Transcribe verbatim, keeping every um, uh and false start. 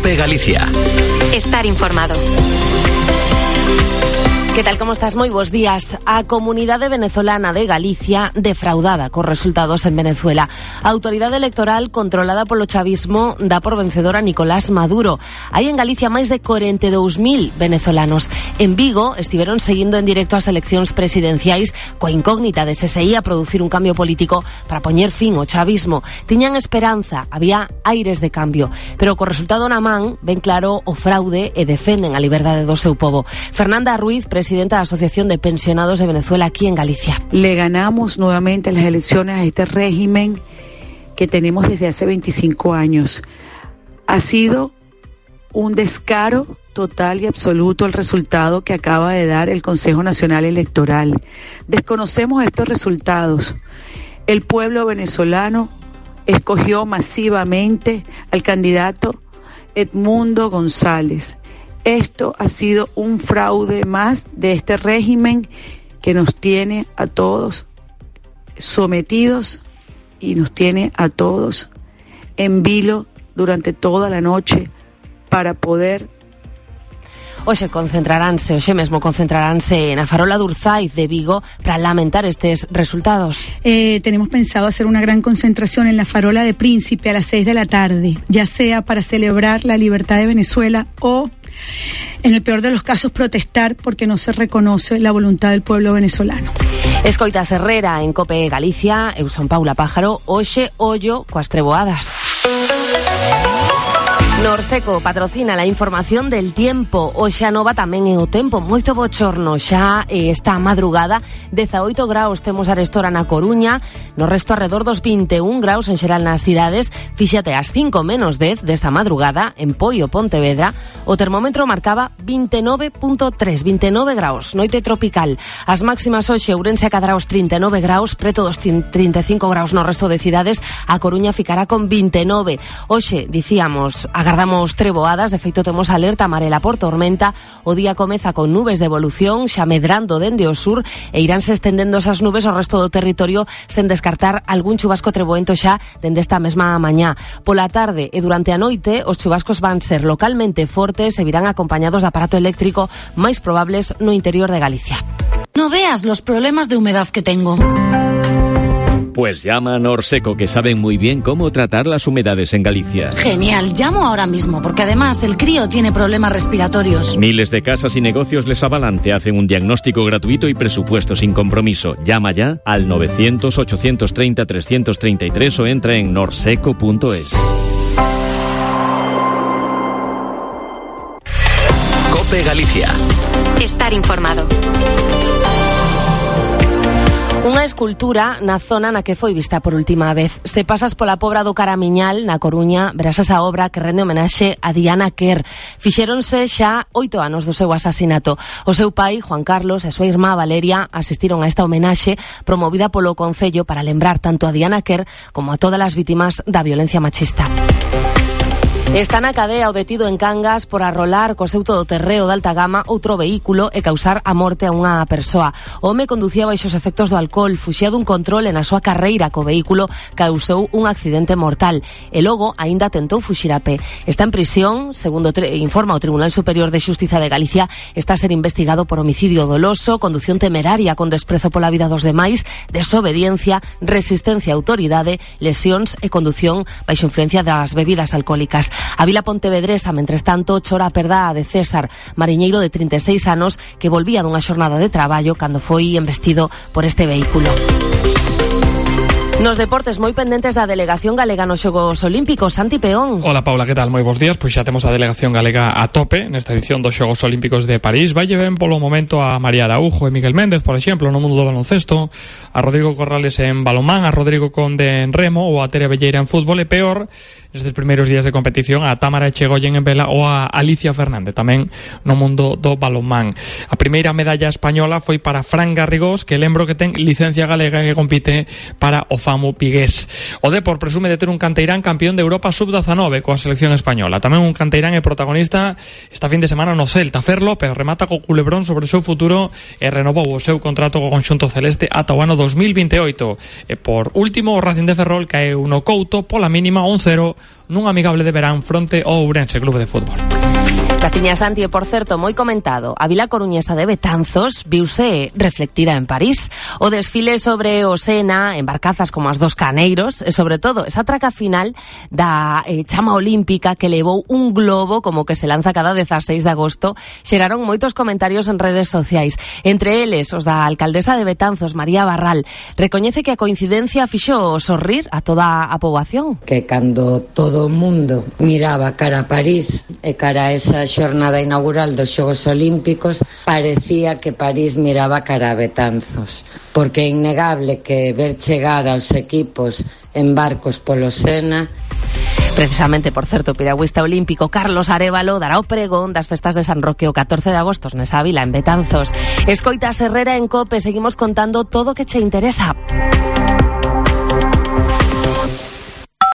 COPE Galicia. Estar informado. Que tal, como estás? Moi bons días. A comunidade venezolana de Galicia defraudada cos resultados en Venezuela. A autoridade electoral controlada polo chavismo dá por vencedor a Nicolás Maduro. Hai en Galicia máis de corenta e dous mil venezolanos. En Vigo estiveron seguindo en directo as eleccións presidenciais coa incógnita de se se ia producir un cambio político para poñer fin ao chavismo. Tiñan esperanza, había aires de cambio, pero co resultado na man ven claro o fraude e defenden a liberdade do seu povo. Fernanda Ruiz, presidenta presidenta de la Asociación de Pensionados de Venezuela aquí en Galicia. Le ganamos nuevamente las elecciones a este régimen que tenemos desde hace veinticinco años. Ha sido un descaro total y absoluto el resultado que acaba de dar el Consejo Nacional Electoral. Desconocemos estos resultados. El pueblo venezolano escogió masivamente al candidato Edmundo González. Esto ha sido un fraude más de este régimen que nos tiene a todos sometidos y nos tiene a todos en vilo durante toda la noche para poder... Hoxe concentraránse, hoxe mesmo concentraránse na Farola de Urzaiz de Vigo para lamentar estes resultados. Eh, tenemos pensado hacer una gran concentración en la Farola de Príncipe a las seis de la tarde, ya sea para celebrar la libertad de Venezuela o, en el peor de los casos, protestar porque no se reconoce la voluntad del pueblo venezolano. Escoitas Herrera en COPE Galicia, eu son Paula Pájaro, hoxe ollo coas treboadas. Norseco patrocina la información del tiempo. Hoxe a nova tamén é o tempo moito bochorno. Xa eh, esta madrugada dezaoito graus temos arestora na Coruña, no resto alrededor dos vinte e un graus en xeral nas cidades. Fíxate, ás cinco menos dez desta madrugada en Poio, Pontevedra, o termómetro marcaba vinte e nove punto tres, vinte e nove graus, noite tropical. As máximas hoxe Ourense acadará os trinta e nove graus, preto dos trinta e cinco graus no resto de cidades. A Coruña ficará con vinte e nove. Hoxe, dicíamos, agardamos treboadas, de feito temos alerta amarela por tormenta. O día comeza con nubes de evolución, xa medrando dende o sur e iránse estendendo esas nubes ao resto do territorio sen descartar algún chubasco treboento xa dende esta mesma mañá. Pola tarde e durante a noite os chubascos van ser localmente fortes e virán acompañados de aparato eléctrico máis probables no interior de Galicia. No veas los problemas de humedad que tengo. Pues llama a Norseco, que saben muy bien cómo tratar las humedades en Galicia. Genial, llamo ahora mismo, porque además el crío tiene problemas respiratorios. Miles de casas y negocios les avalan, te hacen un diagnóstico gratuito y presupuesto sin compromiso. Llama ya al novecientos, ochocientos treinta, trescientos treinta y tres o entra en norseco punto es. COPE Galicia. Estar informado. Unha escultura na zona na que foi vista por última vez. Se pasas pola Pobra do Caramiñal, na Coruña, verás esa obra que rende homenaxe a Diana Kerr. Fixéronse xa oito anos do seu asasinato. O seu pai, Juan Carlos, e a súa irmá Valeria asistiron a esta homenaxe promovida polo Concello para lembrar tanto a Diana Kerr como a todas as vítimas da violencia machista. Está na cadea o detido en Cangas por arrolar co seu todoterreo de alta gama outro vehículo e causar a morte a unha persoa. O home conducía baixo os efectos do alcohol, fuxía dun control e na súa carreira co vehículo causou un accidente mortal e logo aínda tentou fuxir a pé. Está en prisión, segundo informa o Tribunal Superior de Xustiza de Galicia, está a ser investigado por homicidio doloso, condución temeraria con desprezo pola vida dos demais, desobediencia, resistencia a autoridade, lesións e condución baixo influencia das bebidas alcohólicas. A vila pontevedresa, mentres tanto, chora a perda de César, mariñeiro de trinta e seis anos que volvía dunha xornada de traballo cando foi embestido por este vehículo. Nos deportes, moi pendentes da delegación galega nos Xogos Olímpicos. Santi Peón. Hola Paula, que tal? Moi bons días. Pois xa temos a delegación galega a tope nesta edición dos Xogos Olímpicos de París. Vai ben polo momento a María Araújo e Miguel Méndez, por exemplo, no mundo do baloncesto, a Rodrigo Corrales en balonmán, a Rodrigo Conde en remo ou a Tere Velleira en fútbol, e peor nestes primeiros días de competición a Támara Echegoyen en vela ou a Alicia Fernández tamén no mundo do balonmán. A primeira medalla española foi para Fran Garrigós, que lembro que ten licencia galega e que compite para o Famo Pigués. O Depor presume de ter un canteirán campeón de Europa sub dezanove coa selección española. Tamén un canteirán é protagonista esta fin de semana no Celta. Fer López remata co culebrón sobre o seu futuro e renovou o seu contrato co conxunto celeste ata o ano dos mil vinte e oito. E por último, o Racing de Ferrol caeu no Couto pola mínima un cero nun amigable de verán fronte ao Ourense Clube de Fútbol. Caciña Santi, e por certo, moi comentado, a vila coruñesa de Betanzos viuse reflectida en París. O desfile sobre o Sena, en barcazas como as dos Caneiros, e sobre todo, esa traca final da eh, chama olímpica que levou un globo como que se lanza cada dezaseis de agosto, xeraron moitos comentarios en redes sociais. Entre eles, os da alcaldesa de Betanzos, María Barral, recoñece que a coincidencia fixo sorrir a toda a poboación. Que cando todo o mundo miraba cara a París e cara a esa xornada inaugural dos Xogos Olímpicos, parecía que París miraba cara a Betanzos, porque é innegable que ver chegar aos equipos en barcos polo Sena. Precisamente, por certo, o piragüista olímpico Carlos Arévalo dará o pregón das festas de San Roque o catorce de agosto nesa vila, en Betanzos. Escoitas Herrera en COPE, seguimos contando todo o que che interesa.